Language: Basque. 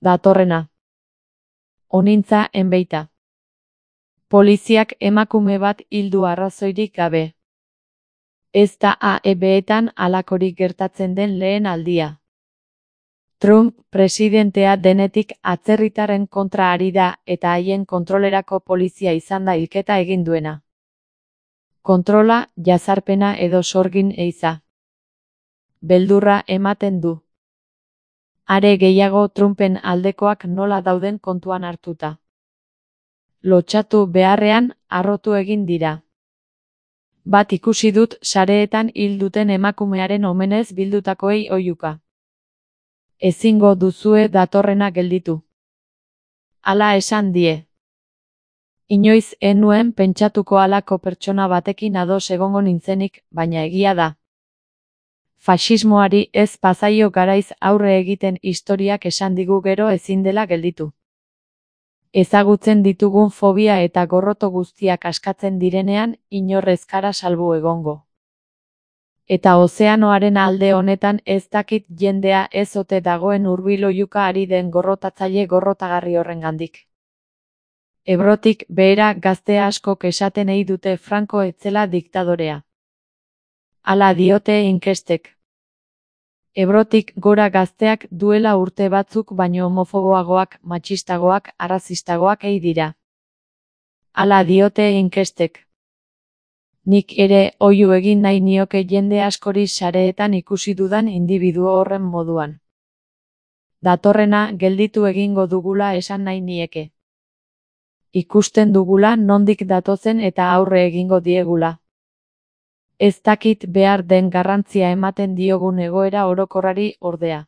Datorrena. Onintza enbeita. Poliziak emakume bat hildu arrazoirik gabe. Ez da AEB-etan halakorik gertatzen den lehen aldia. Trump presidentea denetik atzerritarren kontra ari da eta haien kontrolerako polizia izan da hilketa egin duena. Kontrola, jazarpena edo sorgin eiza. Beldurra ematen du. Are gehiago Trumpen aldekoak nola dauden kontuan hartuta. Lotsatu beharrean, harrotu egin dira. Bat ikusi dut sareetan hil duten emakumearen omenez bildutakoei oihuka. Ezingo duzue datorrena gelditu. Hala esan die. Inoiz ez nuen pentsatuko halako pertsona batekin ados egongo nintzenik, baina egia da. Faxismoari ez pazaio garaiz aurre egiten historiak esan digu gero ezin dela gelditu. Ezagutzen ditugun fobia eta gorroto guztiak askatzen direnean, inor ez gara salbu egongo. Eta ozeanoaren alde honetan ez dakit jendea ez ote dagoen hurbil oihuka ari den gorrotatzaile gorrotagarri horrengandik. Ebrotik behera gazte askok esaten ei dute Franco ez zela diktadorea. Hala diote inkestek. Ebrotik gora gazteak duela urte batzuk baino homofoboagoak, matxistagoak, arrazistagoak ei dira. Hala diote inkestek. Nik ere oihu egin nahi nioke jende askori sareetan ikusi dudan indibiduo horren moduan. Datorrena gelditu egingo dugula esan nahi nieke. Ikusten dugula nondik datozen eta aurre egingo diegula. Ez dakit behar den garrantzia ematen diogun egoera orokorrari ordea.